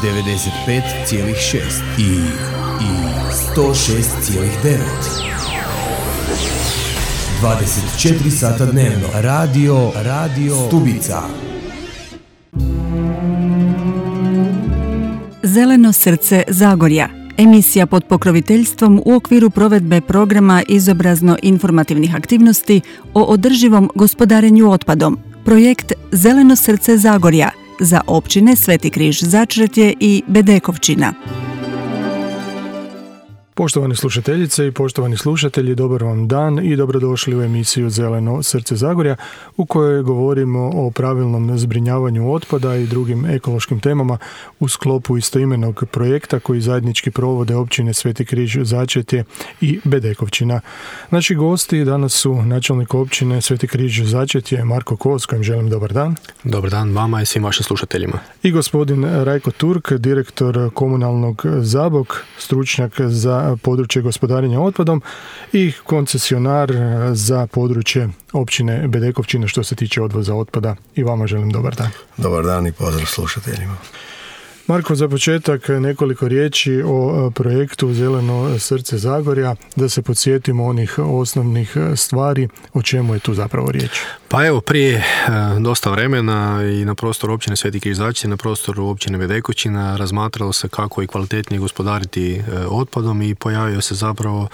95,6 i 106,9. 24 sata dnevno. Radio Stubica. Zeleno srce Zagorja. Emisija pod pokroviteljstvom u okviru provedbe programa izobrazno-informativnih aktivnosti o održivom gospodarenju otpadom. Projekt Zeleno srce Zagorja za općine Sveti Križ Začretje i Bedekovčina. Poštovane slušateljice i poštovani slušatelji, dobar vam dan i dobrodošli u emisiju Zeleno srce Zagorja u kojoj govorimo o pravilnom zbrinjavanju otpada i drugim ekološkim temama u sklopu istoimenog projekta koji zajednički provode općine Sveti Križ Začretje i Bedekovčina. Naši gosti danas su načelnik općine Sveti Križ Začretje Marko Kos, kojem želim dobar dan. Dobar dan vama i svim vašim slušateljima. I gospodin Rajko Turk, direktor komunalnog Zabok, stručnjak za područje gospodarenja otpadom i koncesionar za područje općine Bedekovčina što se tiče odvoza otpada. I vama želim dobar dan. Dobar dan i pozdrav slušateljima. Marko, za početak nekoliko riječi o projektu Zeleno srce Zagorja, da se podsjetimo onih osnovnih stvari, o čemu je tu zapravo riječ. Pa evo, prije dosta vremena i na prostoru općine Sveti Križ Začretje, na prostoru općine Bedekovčina razmatralo se kako i kvalitetnije gospodariti otpadom i pojavio se zapravo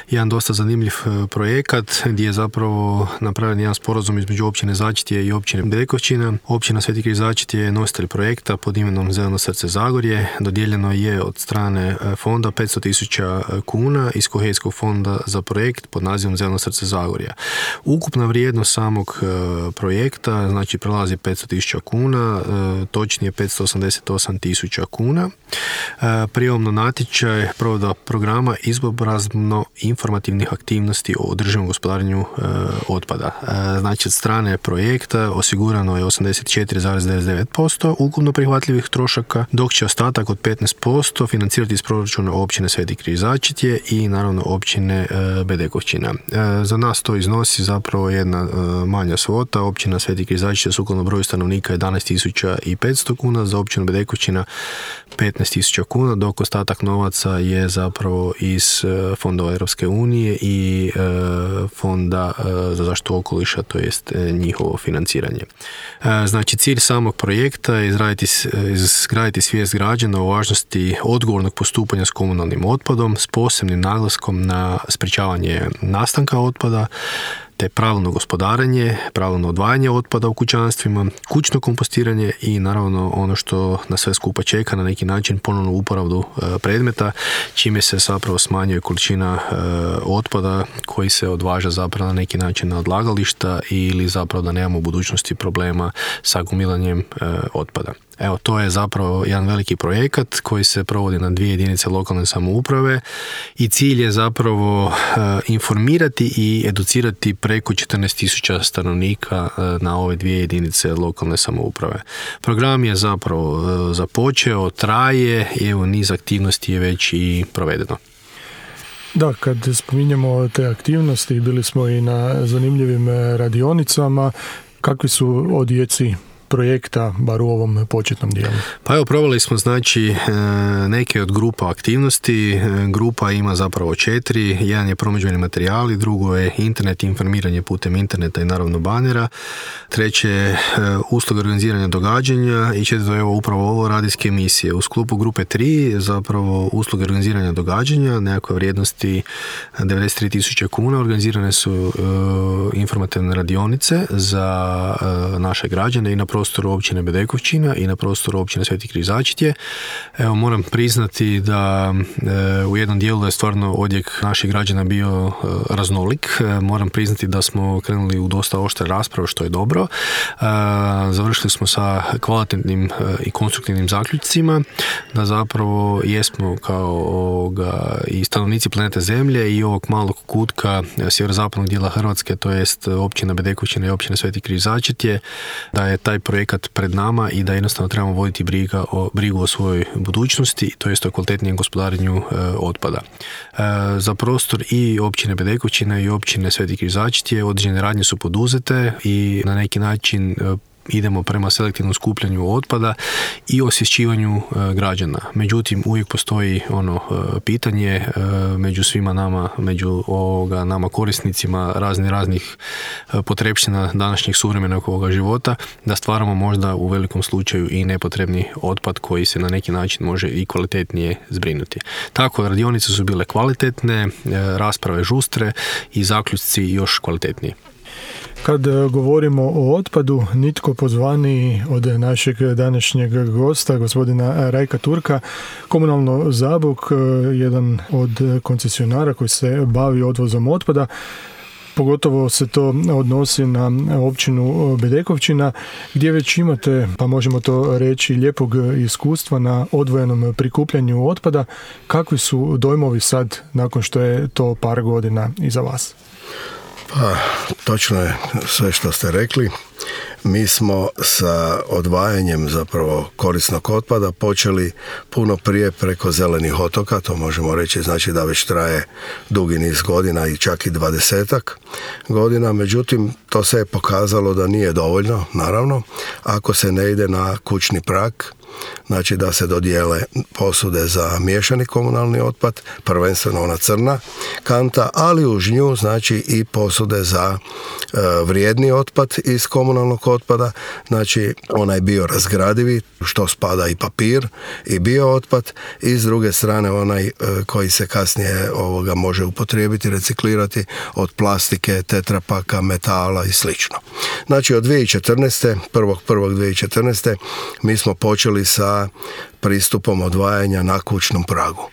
jedan dosta zanimljiv projekat gdje je zapravo napravljen jedan sporazum između općine Začretje i općine Bedekovčina. Općina Sveti Križ Začretje je nositelj projekta pod imenom Zeleno srce Zagorje. Dodijeljeno je od strane fonda 500.000 kuna iz kohezijskog fonda za projekt pod nazivom Zeleno srce Zagorja. Ukupna vrijednost samog projekta znači prelazi 500.000 kuna, točnije 588.000 kuna. Prijavom na natječaj provedba programa izobrazno-informativnih aktivnosti o održivom gospodarenju otpada. Znači od strane projekta osigurano je 84,99% ukupno prihvatljivih trošaka, dok će ostatak od 15% financirati iz proračuna općine Sveti Križ Začretje i naravno općine Bedekovčina. Za nas to iznosi zapravo jedna manja svota. Općina Sveti Križ Začretje sukladno broju stanovnika 11.500 kuna, za općinu Bedekovčina 15.000 kuna, dok ostatak novaca je zapravo iz fondova Europske unije i fonda za zaštitu okoliša, to jest njihovo financiranje. Znači cilj samog projekta je izgraditi svijest građana o važnosti odgovornog postupanja s komunalnim otpadom s posebnim naglaskom na sprječavanje nastanka otpada, te pravilno gospodarenje, pravilno odvajanje otpada u kućanstvima, kućno kompostiranje i naravno ono što na sve skupa čeka, na neki način ponovnu uporabu predmeta, čime se zapravo smanjuje količina otpada koji se odvaža zapravo na neki način na odlagališta ili zapravo da nemamo u budućnosti problema sa gomilanjem otpada. Evo, to je zapravo jedan veliki projekat koji se provodi na 2 jedinice lokalne samouprave i cilj je zapravo informirati i educirati preko 14.000 stanovnika na ove 2 jedinice lokalne samouprave. Program je zapravo započeo, traje i evo niz aktivnosti je već i provedeno. Da, kad spominjemo te aktivnosti, bili smo i na zanimljivim radionicama. Kakvi su odjeci projekta, bar u ovom početnom dijelu? Pa evo, proveli smo znači neke od grupa aktivnosti. Grupa ima zapravo 4. Jedan je promidžbeni materijali, drugo je internet, informiranje putem interneta i naravno banera. Treće je usluga organiziranja događanja i četvrto je evo upravo ovo radijske emisije. U sklopu grupe 3 zapravo usluga organiziranja događanja, nekakve vrijednosti 93.000 kuna. Organizirane su informativne radionice za naše građane i na prostoru općine Bedekovčina i na prostoru općine Sveti Križ Začretje. Evo, moram priznati da u jednom dijelu je stvarno odjek naših građana bio raznolik. Moram priznati da smo krenuli u dosta oštre rasprave, što je dobro. Završili smo sa kvalitetnim i konstruktivnim zaključcima, da zapravo jesmo kao i stanovnici planete Zemlje i ovog malog kutka sjeverozapadnog dijela Hrvatske, to jest općina Bedekovčina i općina Sveti Križ Začretje, da je taj projekat pred nama i da jednostavno trebamo voditi brigu o svojoj budućnosti, to jest o kvalitetnijem gospodarenju otpada. Za prostor i općine Bedekovčina i općine Sveti Križ Začretje određene radnje su poduzete i na neki način idemo prema selektivnom skupljanju otpada i osvješćivanju građana. Međutim, uvijek postoji pitanje među svima nama, među nama korisnicima raznih potrepština današnjeg suvremenog ovoga života, da stvaramo možda u velikom slučaju i nepotrebni otpad koji se na neki način može i kvalitetnije zbrinuti. Tako, radionice su bile kvalitetne, rasprave žustre i zaključci još kvalitetniji. Kad govorimo o otpadu, nitko pozvaniji od našeg današnjeg gosta, gospodina Rajka Turka, Komunalno Zabok, jedan od koncesionara koji se bavi odvozom otpada, pogotovo se to odnosi na općinu Bedekovčina, gdje već imate, pa možemo to reći, lijepog iskustva na odvojenom prikupljanju otpada. Kakvi su dojmovi sad, nakon što je to par godina iza vas? Pa, točno je sve što ste rekli. Mi smo sa odvajanjem zapravo korisnog otpada počeli puno prije preko zelenih otoka, to možemo reći, znači da već traje dugi niz godina i čak i 20-ak godina, međutim to se je pokazalo da nije dovoljno, naravno, ako se ne ide na kućni prag, znači da se dodijele posude za miješani komunalni otpad, prvenstveno ona crna kanta, ali uz nju znači i posude za vrijedni otpad iz komunalnog otpada, znači onaj biorazgradivi, što spada i papir i biootpad, i s druge strane onaj koji se kasnije može upotrijebiti, reciklirati od plastike, tetrapaka, metala i slično. Znači od 2014. 1.1.2014. mi smo počeli sa pristupom odvajanja na kućnom pragu.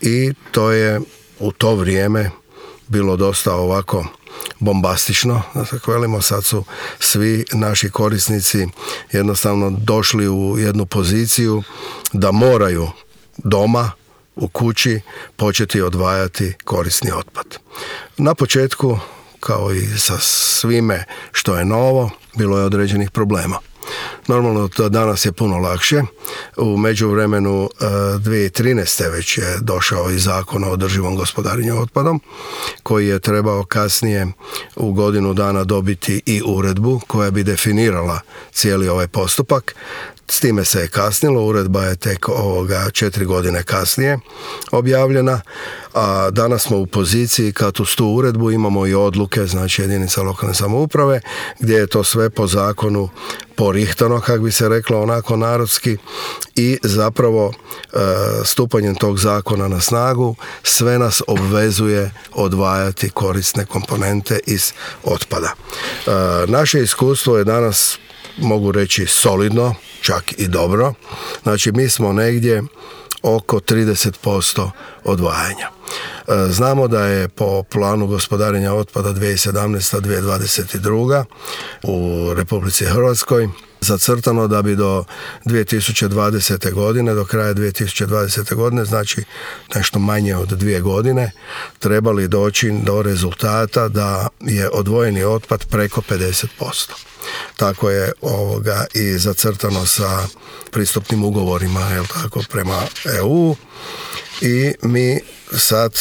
I to je u to vrijeme bilo dosta ovako bombastično, da tako velimo. Sad su svi naši korisnici jednostavno došli u jednu poziciju da moraju doma, u kući, početi odvajati korisni otpad. Na početku, kao i sa svime što je novo, bilo je određenih problema. Normalno, to danas je puno lakše. U međuvremenu 2013. već je došao i zakon o održivom gospodarenju otpadom, koji je trebao kasnije u godinu dana dobiti i uredbu koja bi definirala cijeli ovaj postupak. S time se je kasnilo, uredba je tek 4 godine kasnije objavljena, a danas smo u poziciji kad uz tu uredbu imamo i odluke, znači jedinica lokalne samouprave, gdje je to sve po zakonu porihtano, kako bi se reklo onako narodski, i zapravo stupanjem tog zakona na snagu sve nas obvezuje odvajati korisne komponente iz otpada. Naše iskustvo je danas, mogu reći, solidno, čak i dobro. Znači mi smo negdje oko 30% odvajanja. Znamo da je po planu gospodarenja otpada 2017-2022 u Republici Hrvatskoj zacrtano da bi do 2020. godine, do kraja 2020. godine, znači nešto manje od 2 godine, trebali doći do rezultata da je odvojeni otpad preko 50%. Tako je i zacrtano sa pristupnim ugovorima, tako, prema EU, i mi sad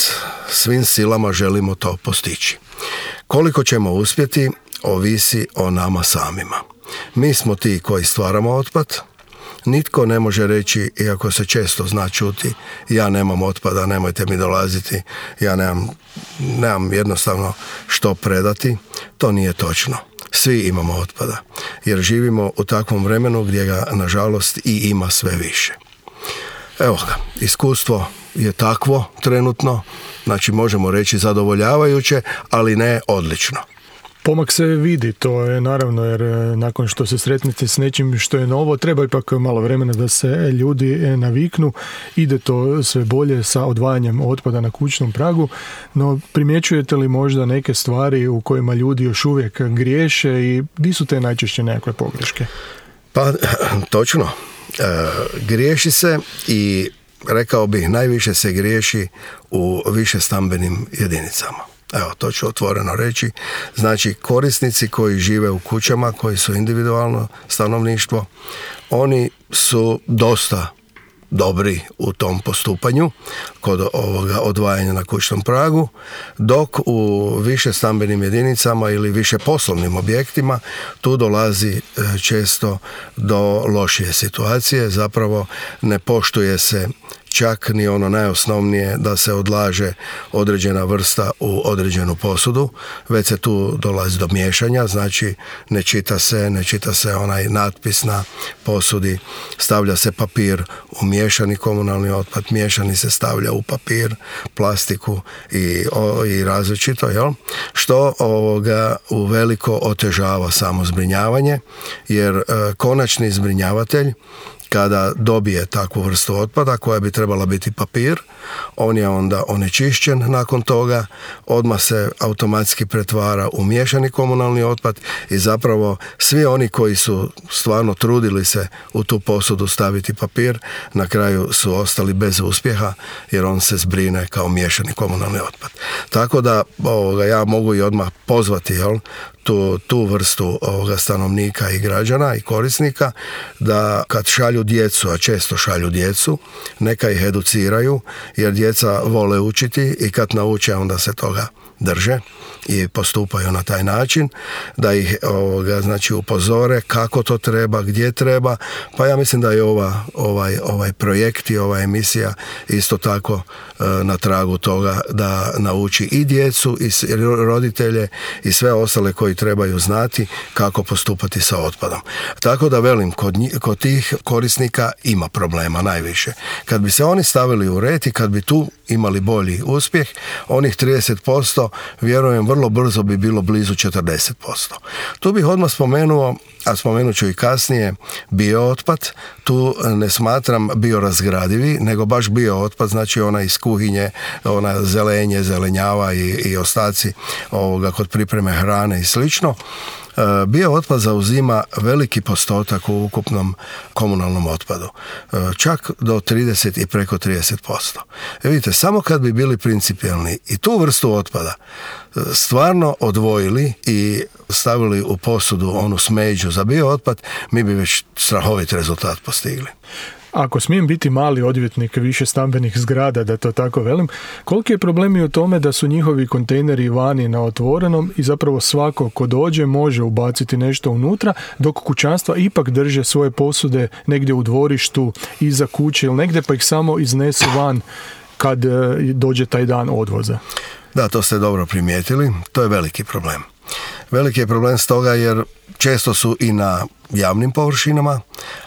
svim silama želimo to postići. Koliko ćemo uspjeti, ovisi o nama samima. Mi smo ti koji stvaramo otpad. Nitko ne može reći, iako se često zna čuti, ja nemam otpada, nemojte mi dolaziti, ja nemam jednostavno što predati. To nije točno. Svi imamo otpada, jer živimo u takvom vremenu gdje ga, nažalost, i ima sve više. Evo ga, iskustvo je takvo trenutno, znači možemo reći zadovoljavajuće, ali ne odlično. Pomak se vidi, to je naravno, jer nakon što se sretnete s nečim što je novo, treba ipak malo vremena da se ljudi naviknu. Ide to sve bolje sa odvajanjem otpada na kućnom pragu, no primjećujete li možda neke stvari u kojima ljudi još uvijek griješe i di su te najčešće nekakve pogreške? Pa, točno. Griješi se i rekao bih najviše se griješi u višestambenim jedinicama. Evo, to ću otvoreno reći. Znači, korisnici koji žive u kućama, koji su individualno stanovništvo, oni su dosta dobri u tom postupanju kod ovoga odvajanja na kućnom pragu, dok u više stambenim jedinicama ili više poslovnim objektima tu dolazi često do lošije situacije, zapravo ne poštuje se čak ni ono najosnovnije da se odlaže određena vrsta u određenu posudu, već se tu dolazi do miješanja, znači ne čita se onaj natpis na posudi, stavlja se papir u miješani komunalni otpad, miješani se stavlja u papir, plastiku i različito, jel? Što uveliko otežava samo zbrinjavanje, jer konačni zbrinjavatelj kada dobije takvu vrstu otpada koja bi trebala biti papir, on je onda onečišćen nakon toga, odmah se automatski pretvara u miješani komunalni otpad i zapravo svi oni koji su stvarno trudili se u tu posudu staviti papir, na kraju su ostali bez uspjeha jer on se zbrine kao miješani komunalni otpad. Tako da ja mogu i odmah pozvati, jel, tu vrstu stanovnika i građana i korisnika da kad šalju djecu, a često šalju djecu, neka ih educiraju, jer djeca vole učiti i kad nauče onda se toga drže i postupaju na taj način, da ih znači upozore kako to treba, gdje treba. Pa ja mislim da je ovaj projekt i ova emisija isto tako na tragu toga da nauči i djecu i roditelje i sve ostale koji trebaju znati kako postupati sa otpadom. Tako da velim, kod tih korisnika ima problema najviše. Kad bi se oni stavili u red i kad bi tu imali bolji uspjeh, onih 30% vjerujem vrlo brzo bi bilo blizu 40%. Tu bih odmah spomenuo, a spomenut ću i kasnije, biootpad. Tu ne smatram biorazgradivi, nego baš biootpad, znači ona iz kuhinje, ona zelenje, zelenjava i ostaci kod pripreme hrane i slično. Biootpad zauzima veliki postotak u ukupnom komunalnom otpadu, čak do 30 i preko 30%. Vidite, samo kad bi bili principijelni i tu vrstu otpada stvarno odvojili i stavili u posudu onu smeđu za biootpad, mi bi već strahovit rezultat postigli. Ako smijem biti mali odvjetnik više stambenih zgrada, da to tako velim, koliki je problem i u tome da su njihovi kontejneri vani na otvorenom i zapravo svako ko dođe može ubaciti nešto unutra, dok kućanstva ipak drže svoje posude negdje u dvorištu, iza kuće ili negdje, pa ih samo iznesu van kad dođe taj dan odvoza. Da, to ste dobro primijetili, to je veliki problem. Veliki je problem stoga jer često su i na javnim površinama,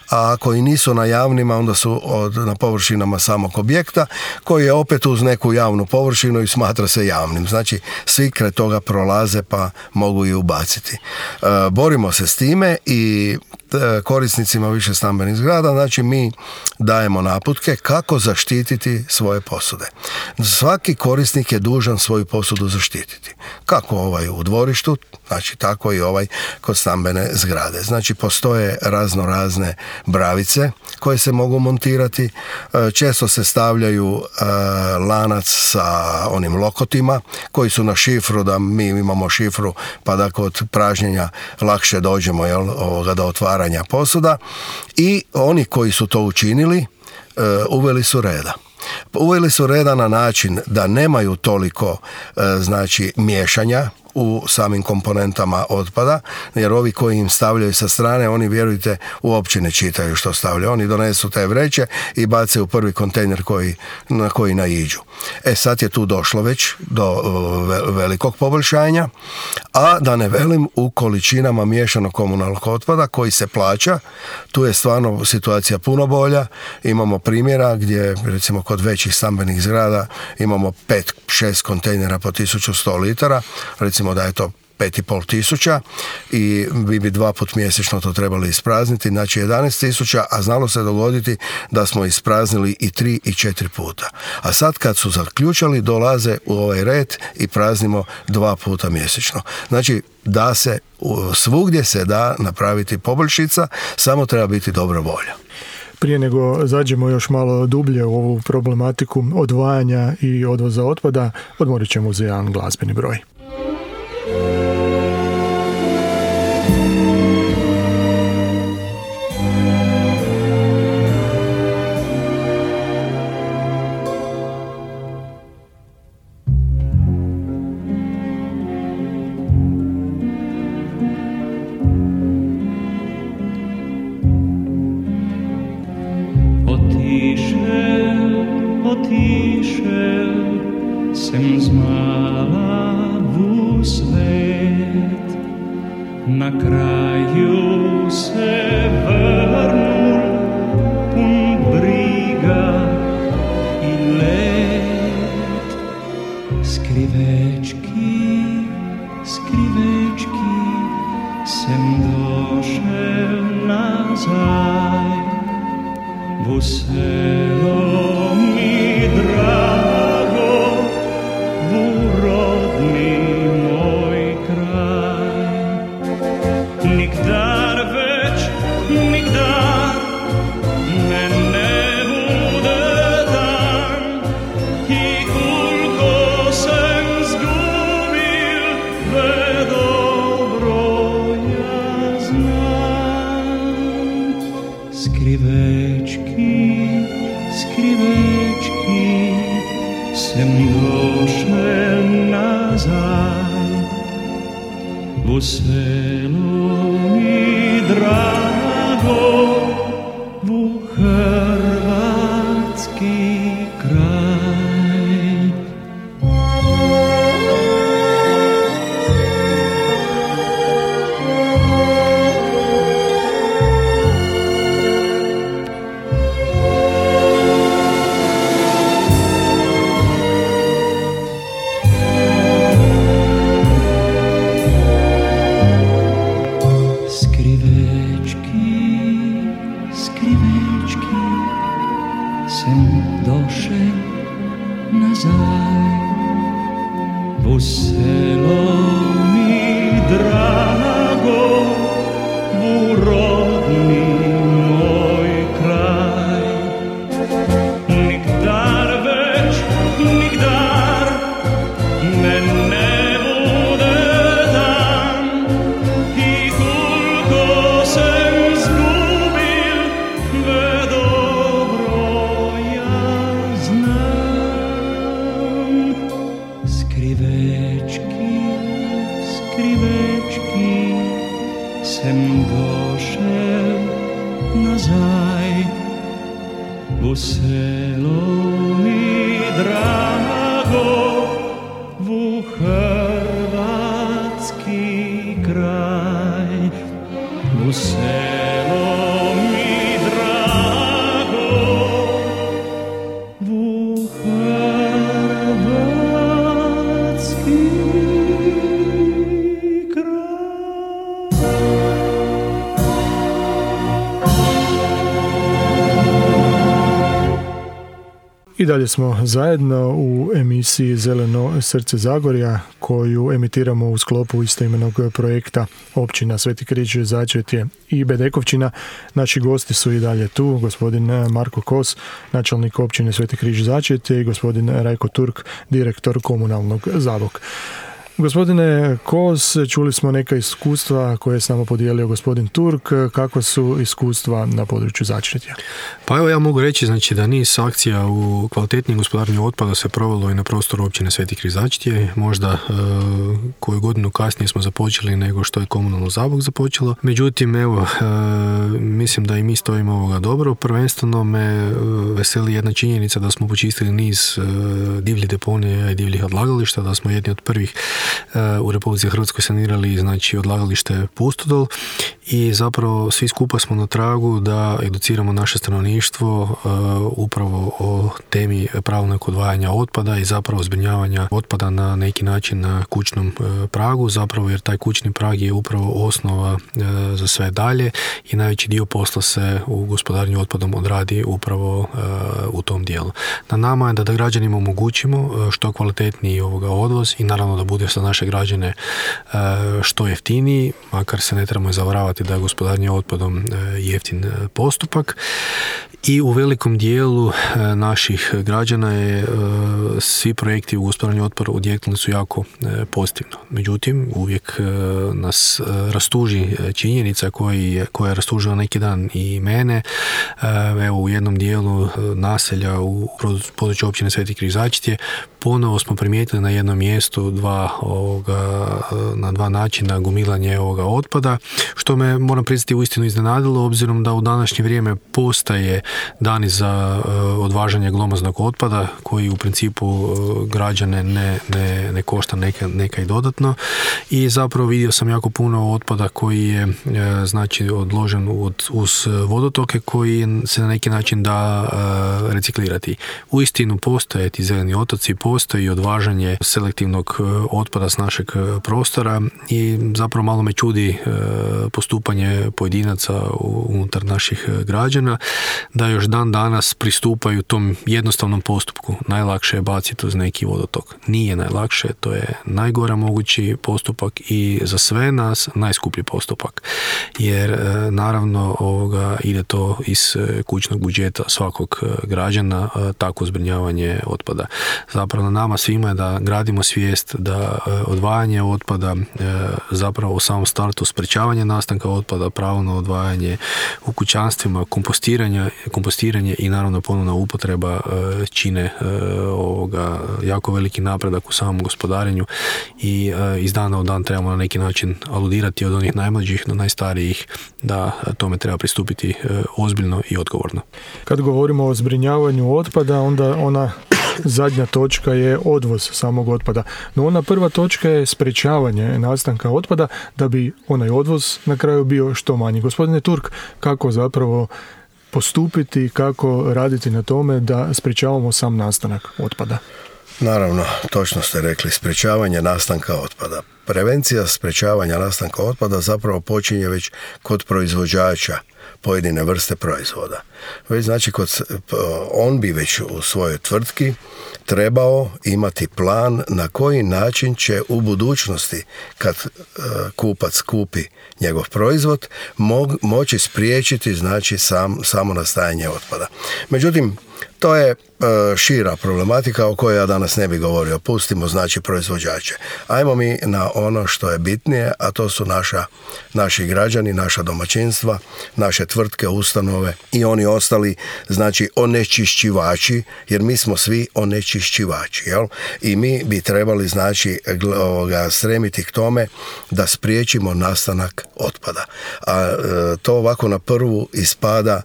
a ako i nisu na javnima, onda su na površinama samog objekta, koji je opet uz neku javnu površinu i smatra se javnim. Znači, svi kraj toga prolaze pa mogu i ubaciti. Borimo se s time i korisnicima više stambenih zgrada, znači mi dajemo naputke kako zaštititi svoje posude. Svaki korisnik je dužan svoju posudu zaštititi. Kako u dvorištu, znači tako i kod stambene zgrade. Znači, postoje razne bravice koje se mogu montirati. Često se stavljaju lanac sa onim lokotima koji su na šifru, da mi imamo šifru pa da kod pražnjenja lakše dođemo do otvaranja posuda. I oni koji su to učinili uveli su reda. Uveli su reda na način da nemaju toliko miješanja u samim komponentama otpada, jer ovi koji im stavljaju sa strane, oni, vjerujte, uopće ne čitaju što stavljaju. Oni donesu te vreće i bace u prvi kontejner na koji naiđu. Sad je tu došlo već do velikog poboljšanja, a da ne velim u količinama miješanog komunalnog otpada koji se plaća. Tu je stvarno situacija puno bolja. Imamo primjera gdje, recimo, kod većih stambenih zgrada imamo 5-6 kontejnera po 1100 litara, recimo da je to 5.500 i vi bi 2 puta mjesečno to trebali isprazniti, znači 11.000, a znalo se dogoditi da smo ispraznili i 3 i 4 puta. A sad kad su zaključali, dolaze u ovaj red i praznimo 2 puta mjesečno. Znači, da se, svugdje se da napraviti poboljšica, samo treba biti dobra volja. Prije nego zađemo još malo dublje u ovu problematiku odvajanja i odvoza otpada, odmorit ćemo za jedan glazbeni broj. otišel sem zmala v svet. Na kraju se vrnul pun briga i let. Skrivečki, skrivečki, sem došel nazaj. V selo mi drago, v rodni moj kraj. Nikdar več, nikdar me ne bude dan, i koliko sem zgubil, ve dobro ja znam. Skrivečki, skrivečki, sem došel nazaj. V selo mi drago, v hrvatski kraj. V selo mi drago, v rodni moj kraj. Nikdar več, nikdar me ne bude dan, i koliko sem zgubil, ve dobro ja znam. Skrivečki, skrivečki, sem došel nazaj. V selo mi drago, v hrvatski kraj. V selo mi drago, v hrvatski I dalje smo zajedno u emisiji Zeleno srce Zagorja, koju emitiramo u sklopu istoimenog projekta Općina Sveti Križ Začetje i Bedekovčina. Naši gosti su i dalje tu, gospodin Marko Kos, načelnik Općine Sveti Križ Začetje, i gospodin Rajko Turk, direktor komunalnog Zabok. Gospodine Kos, čuli smo neka iskustva koje je s nama podijelio gospodin Turk. Kakva su iskustva na području Začetja? Pa evo ja mogu reći znači, da niz akcija u kvalitetnijem gospodarenju otpada se provelo i na prostoru općine Sveti Križ Začetje. Možda koju godinu kasnije smo započeli nego što je komunalno Zabok započelo. Međutim, evo, mislim da i mi stojimo ovoga dobro. Prvenstveno me veseli jedna činjenica da smo počistili niz divljih deponija i divljih odlagališta, da smo jedni od prvih u Republici Hrvatskoj sanirali znači odlagalište Pustodol i zapravo svi skupa smo na tragu da educiramo naše stanovništvo upravo o temi pravilnog odvajanja otpada i zapravo zbrinjavanja otpada na neki način na kućnom pragu, zapravo jer taj kućni prag je upravo osnova za sve dalje i najveći dio posla se u gospodarenju otpadom odradi upravo u tom dijelu. Na nama je da građanima omogućimo što kvalitetniji odvoz i naravno da bude za naše građane što jeftiniji, makar se ne trebamo zavaravati da je gospodarenje otpadom jeftin postupak. I u velikom dijelu naših građana je svi projekti u gospodarenju otpada odjeknuli su jako pozitivno. Međutim, uvijek nas rastuži činjenica koja je rastužila neki dan i mene. Evo, u jednom dijelu naselja u području općine Sveti Križ Začetje ponovo smo primijetili na jednom mjestu dva na dva načina gomilanje ovoga otpada, što me, moram priznati, uistinu iznenadilo, obzirom da u današnje vrijeme postaje dani za odvažanje glomaznog otpada, koji u principu građane ne košta neka i dodatno, i zapravo vidio sam jako puno otpada koji je znači odložen uz vodotoke, koji se na neki način da reciklirati. Uistinu postoje ti zeleni otoci, postoji odvažanje selektivnog otpada s našeg prostora i zapravo malo me čudi postupanje pojedinaca unutar naših građana, da još dan danas pristupaju tom jednostavnom postupku. Najlakše je baciti uz neki vodotok. Nije najlakše, to je najgora mogući postupak i za sve nas najskuplji postupak. Jer naravno ide to iz kućnog budžeta svakog građana, tako zbrinjavanje otpada. Zapravo na nama svima je da gradimo svijest da odvajanje otpada, zapravo u samom startu sprečavanje nastanka otpada, pravo na odvajanje u kućanstvima, kompostiranje i naravno ponovna upotreba čine jako veliki napredak u samom gospodarenju i iz dana u dan trebamo na neki način aludirati od onih najmlađih do najstarijih da tome treba pristupiti ozbiljno i odgovorno. Kad govorimo o zbrinjavanju otpada, onda ona zadnja točka je odvoz samog otpada. No ona prva točka je sprečavanje nastanka otpada da bi onaj odvoz na kraju bio što manji. Gospodine Turk, kako zapravo postupiti, kako raditi na tome da sprečavamo sam nastanak otpada? Naravno, točno ste rekli, sprečavanje nastanka otpada. Prevencija sprečavanja nastanka otpada zapravo počinje već kod proizvođača pojedine vrste proizvoda. Već znači on bi već u svojoj tvrtki trebao imati plan na koji način će u budućnosti, kad kupac kupi njegov proizvod, moći spriječiti znači samo nastajanje otpada. Međutim, to je šira problematika o kojoj ja danas ne bih govorio. Pustimo znači proizvođače. Ajmo mi na ono što je bitnije, a to su naši građani, naša domaćinstva, naše tvrtke, ustanove i oni ostali znači onečišćivači, jer mi smo svi onečišćivači, jel? I mi bi trebali znači stremiti k tome da spriječimo nastanak otpada. A to ovako na prvu ispada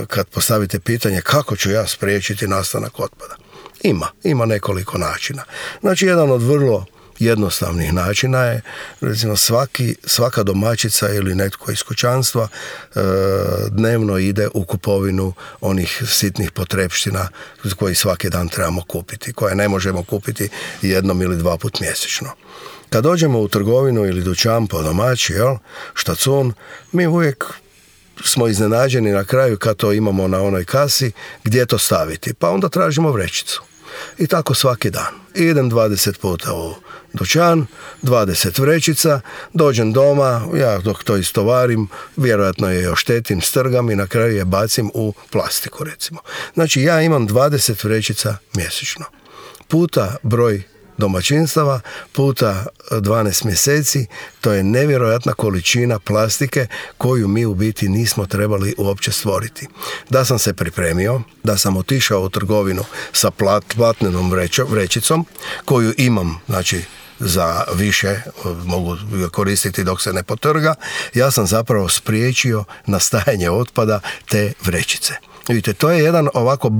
kad postavite pitanje kako ću ja spriječiti nastanak otpada. Ima nekoliko načina. Znači, jedan od vrlo jednostavnih načina je, recimo, svaka domaćica ili netko iz kućanstva dnevno ide u kupovinu onih sitnih potrepština koji svaki dan trebamo kupiti, koje ne možemo kupiti jednom ili dva put mjesečno. Kad dođemo u trgovinu ili dućan po domaći, štacun, mi uvijek smo iznenađeni na kraju kad to imamo na onoj kasi, gdje to staviti. Pa onda tražimo vrećicu. I tako svaki dan. Idem 20 puta u dućan, 20 vrećica, dođem doma, ja dok to istovarim, vjerojatno je oštetim, strgam i na kraju je bacim u plastiku, recimo. Znači, ja imam 20 vrećica mjesečno. Puta broj domaćinstava, puta 12 mjeseci, to je nevjerojatna količina plastike koju mi u biti nismo trebali uopće stvoriti. Da sam se pripremio, da sam otišao u trgovinu sa platnenom vrećicom koju imam, znači za više, mogu koristiti dok se ne potrga, ja sam zapravo spriječio nastajanje otpada te vrećice. Vidite, to je jedan ovako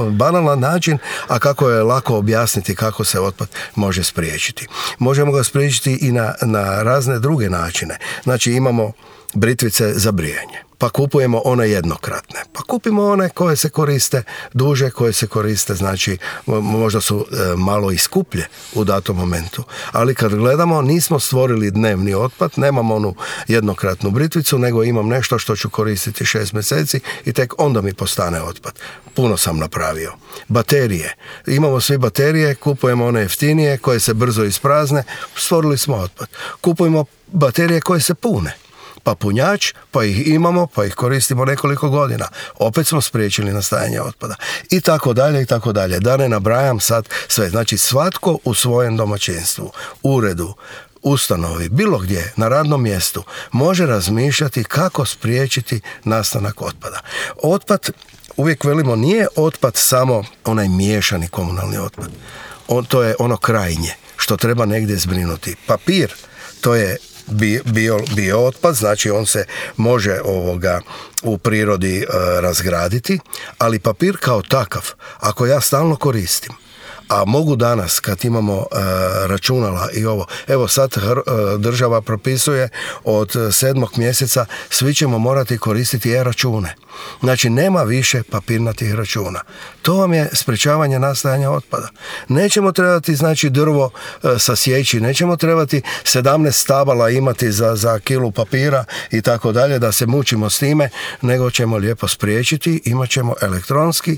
banalan način, a kako je lako objasniti kako se otpad može spriječiti. Možemo ga spriječiti i na razne druge načine. Znači, imamo britvice za brijanje, pa kupujemo one jednokratne, pa kupimo one koje se koriste duže, koje se koriste, znači možda su malo i skuplje u datom momentu, ali kad gledamo nismo stvorili dnevni otpad, nemam onu jednokratnu britvicu, nego imam nešto što ću koristiti 6 mjeseci i tek onda mi postane otpad. Puno sam napravio. Baterije. Imamo svi baterije, kupujemo one jeftinije koje se brzo isprazne, stvorili smo otpad. Kupujemo baterije koje se pune, pa punjač, pa ih imamo, pa ih koristimo nekoliko godina. Opet smo spriječili nastajanje otpada. I tako dalje, i tako dalje. Da ne nabrajam sad sve. Znači, svatko u svojem domaćinstvu, uredu, ustanovi, bilo gdje, na radnom mjestu, može razmišljati kako spriječiti nastanak otpada. Otpad, uvijek velimo, nije otpad samo onaj miješani komunalni otpad. To je ono krajnje što treba negdje zbrinuti. Papir, to je bio otpad, znači on se može u prirodi razgraditi, ali papir kao takav, ako ja stalno koristim, a mogu danas kad imamo računala i ovo, evo sad država propisuje od 7. mjeseca svi ćemo morati koristiti e-račune. Znači nema više papirnatih računa. To vam je sprečavanje nastajanja otpada. Nećemo trebati znači drvo sasjeći, nećemo trebati 17 stabala imati za kilu papira i tako dalje da se mučimo s time, nego ćemo lijepo spriječiti, imat ćemo elektronski,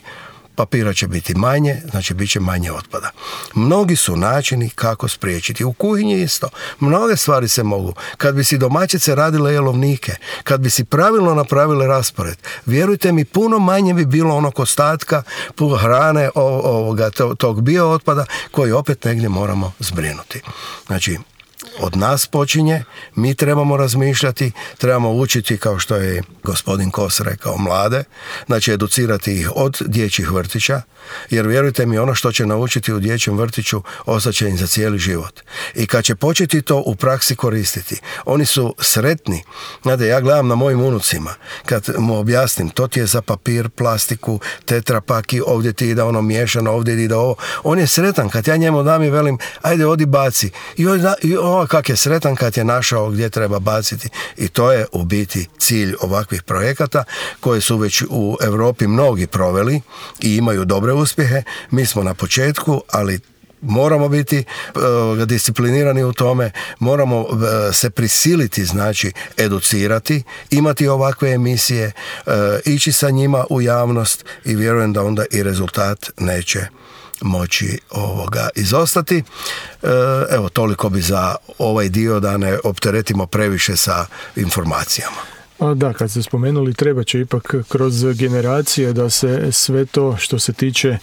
papira će biti manje, znači bit će manje otpada. Mnogi su načini kako spriječiti. U kuhinji isto. Mnoge stvari se mogu. Kad bi si domaćice radile jelovnike, kad bi si pravilno napravile raspored, vjerujte mi, puno manje bi bilo onog ostatka hrane, tog bio otpada koji opet negdje moramo zbrinuti. Znači, od nas počinje, mi trebamo razmišljati, trebamo učiti, kao što je gospodin Kos rekao, mlade, znači educirati ih od dječjih vrtića, jer vjerujte mi, ono što će naučiti u dječjem vrtiću ostaće im za cijeli život. I kad će početi to u praksi koristiti, oni su sretni. Znate, ja gledam na mojim unucima, kad mu objasnim, to ti je za papir, plastiku, tetrapaki, ovdje ti ide ono miješano, ovdje ide ovo. On je sretan kad ja njemu dam i velim, ajde odi baci. I kak je sretan kad je našao gdje treba baciti. I to je u biti cilj ovakvih projekata koje su već u Europi mnogi proveli i imaju dobre uspjehe. Mi smo na početku, ali moramo biti disciplinirani u tome, moramo se prisiliti, znači educirati, imati ovakve emisije, ići sa njima u javnost i vjerujem da onda i rezultat neće moći izostati. Evo, toliko bi za ovaj dio, da ne opteretimo previše sa informacijama. Da, kad ste spomenuli, treba će ipak kroz generacije da se sve to što se tiče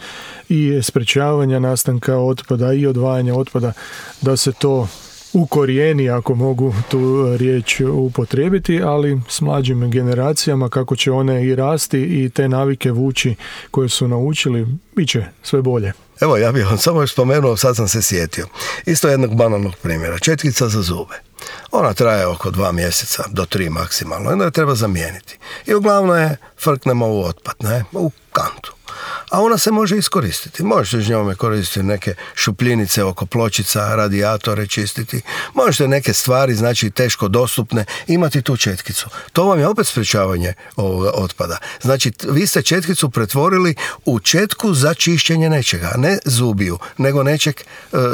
i sprečavanja nastanka otpada i odvajanja otpada, da se to ukorijeni, ako mogu tu riječ upotrijebiti, ali s mlađim generacijama, kako će one i rasti i te navike vući koje su naučili, bit će sve bolje. Evo, ja bih vam samo još spomenuo, sad sam se sjetio. Isto jednog banalnog primjera. Četkica za zube. Ona traje oko 2 mjeseca, do 3 maksimalno. Onda je treba zamijeniti. I uglavnom je frknemo u otpad, u kantu. A ona se može iskoristiti. Možete s njome koristiti neke šupljinice oko pločica, radijatore čistiti. Možete neke stvari, znači teško dostupne, imati tu četkicu. To vam je opet sprečavanje ovoga otpada. Znači, vi ste četkicu pretvorili u četku za čišćenje nečega. Ne zubiju, nego nečeg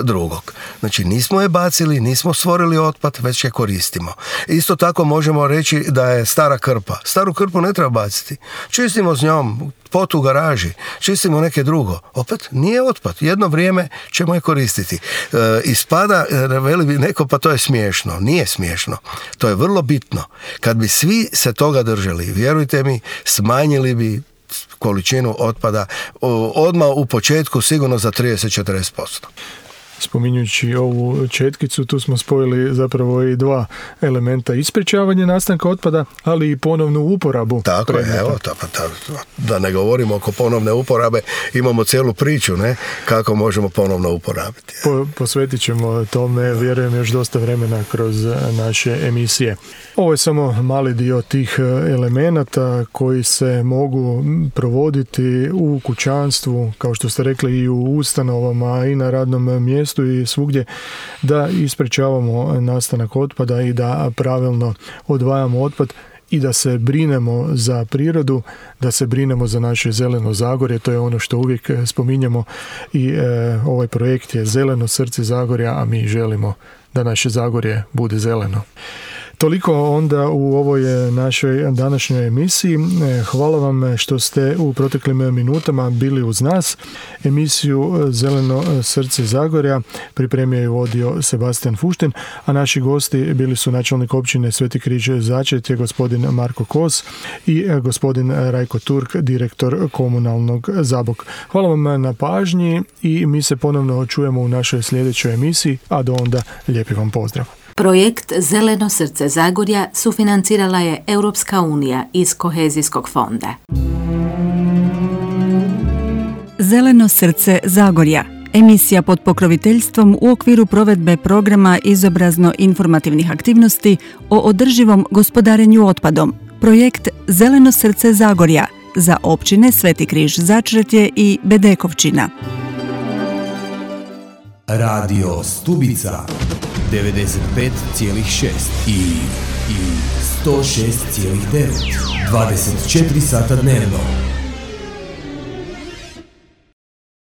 drugog. Znači, nismo je bacili, nismo stvorili otpad, već je koristimo. Isto tako možemo reći da je stara krpa. Staru krpu ne treba baciti. Čistimo s njom pot u garaži, čistimo neke drugo. Opet nije otpad. Jedno vrijeme ćemo je koristiti. Ispada, veli bi neko, pa to je smiješno. Nije smiješno. To je vrlo bitno. Kad bi svi se toga držali, vjerujte mi, smanjili bi količinu otpada odmah u početku sigurno za 30-40%. Spominjući ovu četkicu, tu smo spojili zapravo i 2 elementa: ispričavanje nastanka otpada, ali i ponovnu uporabu. Tako je, evo, da ne govorimo oko ponovne uporabe, imamo cijelu priču, kako možemo ponovno uporabiti. Posvetit ćemo tome, vjerujem, još dosta vremena kroz naše emisije. Ovo je samo mali dio tih elemenata koji se mogu provoditi u kućanstvu, kao što ste rekli, i u ustanovama i na radnom mjestu i svugdje, da isprečavamo nastanak otpada i da pravilno odvajamo otpad i da se brinemo za prirodu, da se brinemo za naše zeleno Zagorje. To je ono što uvijek spominjemo i ovaj projekt je Zeleno srce Zagorja, a mi želimo da naše Zagorje bude zeleno. Toliko onda u ovoj našoj današnjoj emisiji. Hvala vam što ste u proteklim minutama bili uz nas. Emisiju Zeleno srce Zagorja pripremio i vodio Sebastian Fušten, a naši gosti bili su načelnik općine Sveti Križ Začet, gospodin Marko Kos, i gospodin Rajko Turk, direktor komunalnog Zabok. Hvala vam na pažnji i mi se ponovno čujemo u našoj sljedećoj emisiji, a do onda lijepi vam pozdrav. Projekt Zeleno srce Zagorja sufinancirala je Europska unija iz Kohezijskog fonda. Zeleno srce Zagorja, Emisija pod pokroviteljstvom u okviru provedbe programa izobrazno-informativnih aktivnosti o održivom gospodarenju otpadom. Projekt Zeleno srce Zagorja za općine Sveti Križ Začretje i Bedekovčina. Radio Stubica 95,6 i 106,9 24 sata dnevno.